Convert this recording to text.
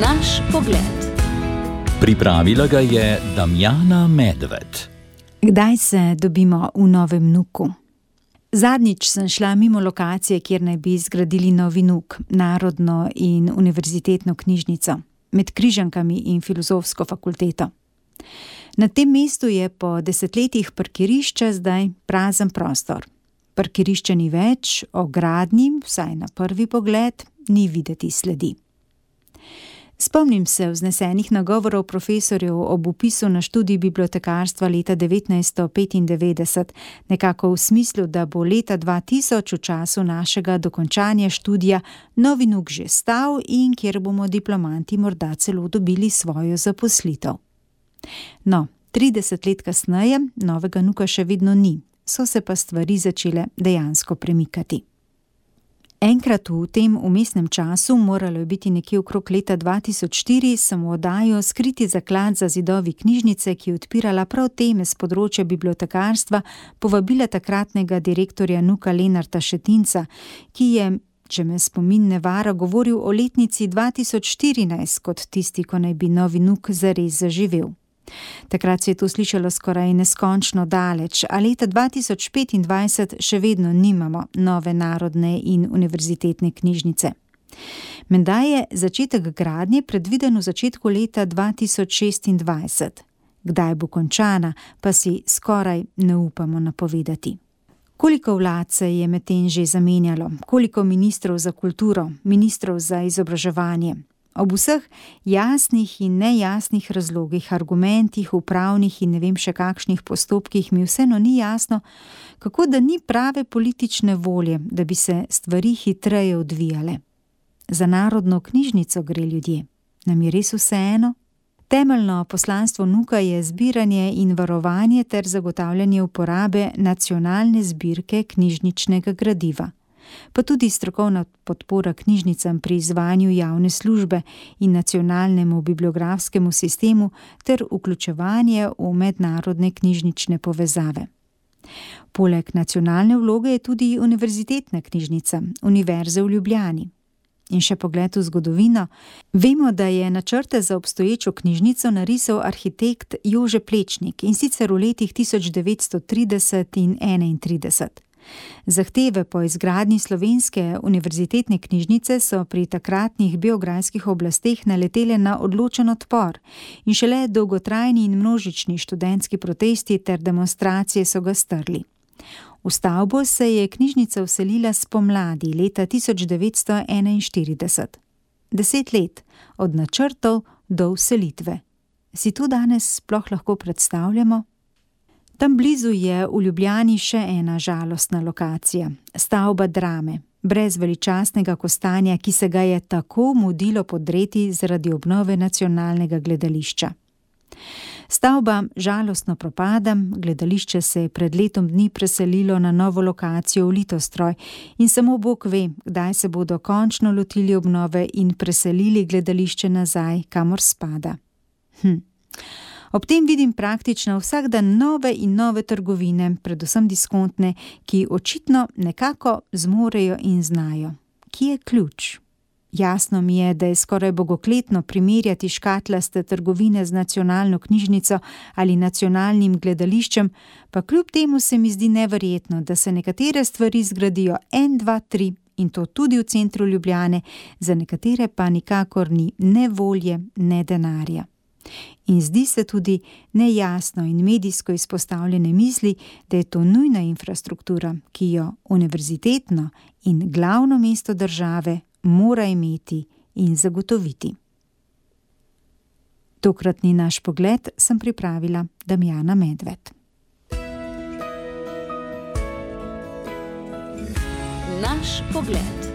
Naš pogled. Pripravila ga je Damjana Medved. Kdaj se dobimo v Novem Nuku? Zadnjič sem šla mimo lokacije, kjer naj bi zgradili novi Nuk, Narodno in univerzitetno knjižnico, med Križankami in Filozofsko fakulteto. Na tem mestu je po desetletjih parkirišča zdaj prazen prostor. Parkirišča ni več, o gradnji, vsaj na prvi pogled, ni videti sledi. Spomnim se vznesenih nagovorov profesorjev ob vpisu na študij bibliotekarstva leta 1995, nekako v smislu, da bo leta 2000 v času našega dokončanja študija novi Nuk že stal in kjer bomo diplomanti morda celo dobili svojo zaposlitev. No, 30 let kasneje novega Nuka še vedno ni, so se pa stvari začele dejansko premikati. Enkrat v tem vmesnem času, moralo je biti nekje okrog leta 2004, sem v oddajo Skriti zaklad za zidovi knjižnice, ki je odpirala prav teme z področja bibliotekarstva, povabila takratnega direktorja Nuka Lenarta Šetinca, ki je, če me spomin ne vara, govoril o letnici 2014 kot tisti, ko naj bi novi Nuk zares zaživel. Takrat se je to slišalo skoraj neskončno daleč, a leta 2025 še vedno nimamo nove narodne in univerzitetne knjižnice. Menda je začetek gradnje predviden v začetku leta 2026. Kdaj bo končana, pa si skoraj ne upamo napovedati. Koliko vlad se je medtem že zamenjalo, koliko ministrov za kulturo, ministrov za izobraževanje. Ob vseh jasnih in nejasnih razlogih, argumentih, upravnih in ne vem še kakšnih postopkih mi vseeno ni jasno, kako da ni prave politične volje, da bi se stvari hitreje odvijale. Za narodno knjižnico gre ljudje. Nam je res vseeno? Temeljno poslanstvo Nuka je zbiranje in varovanje ter zagotavljanje uporabe nacionalne zbirke knjižničnega gradiva, pa tudi strokovna podpora knjižnicam pri izvajanju javne službe in nacionalnemu bibliografskemu sistemu ter vključevanje v mednarodne knjižnične povezave. Poleg nacionalne vloge je tudi univerzitetna knjižnica, Univerze v Ljubljani. In še pogled v zgodovino. Vemo, da je načrte za obstoječo knjižnico narisal arhitekt Jože Plečnik, in sicer v letih 1930 in 1931. Zahteve po izgradnji slovenske univerzitetne knjižnice so pri takratnih beograjskih oblasteh naletele na odločen odpor in šele dolgotrajni in množični študentski protesti ter demonstracije so ga strli. V stavbo se je knjižnica vselila spomladi leta 1941. 10 let od načrtov do vselitve. Si to danes sploh lahko predstavljamo? Tam blizu je v Ljubljani še ena žalostna lokacija, stavba Drame, brez veličastnega kostanja, ki se ga je tako mudilo podreti zaradi obnove nacionalnega gledališča. Stavba žalostno propada, gledališče se je pred letom dni preselilo na novo lokacijo v Litostroj in samo Bog ve, kdaj se bodo končno lotili obnove in preselili gledališče nazaj, kamor spada. Ob tem vidim praktično vsak dan nove in nove trgovine, predvsem diskontne, ki očitno nekako zmorejo in znajo. Kje je ključ? Jasno mi je, da je skoraj bogokletno primerjati škatlaste trgovine z nacionalno knjižnico ali nacionalnim gledališčem, pa kljub temu se mi zdi neverjetno, da se nekatere stvari zgradijo 1, 2, 3 in to tudi v centru Ljubljane, za nekatere pa nikakor ni ne volje, ne denarja. In zdi se tudi nejasno in medijsko izpostavljene misli, da je to nujna infrastruktura, ki jo univerzitetno in glavno mesto države mora imeti in zagotoviti. Tokratni naš pogled sem pripravila Damjana Medved. Naš pogled.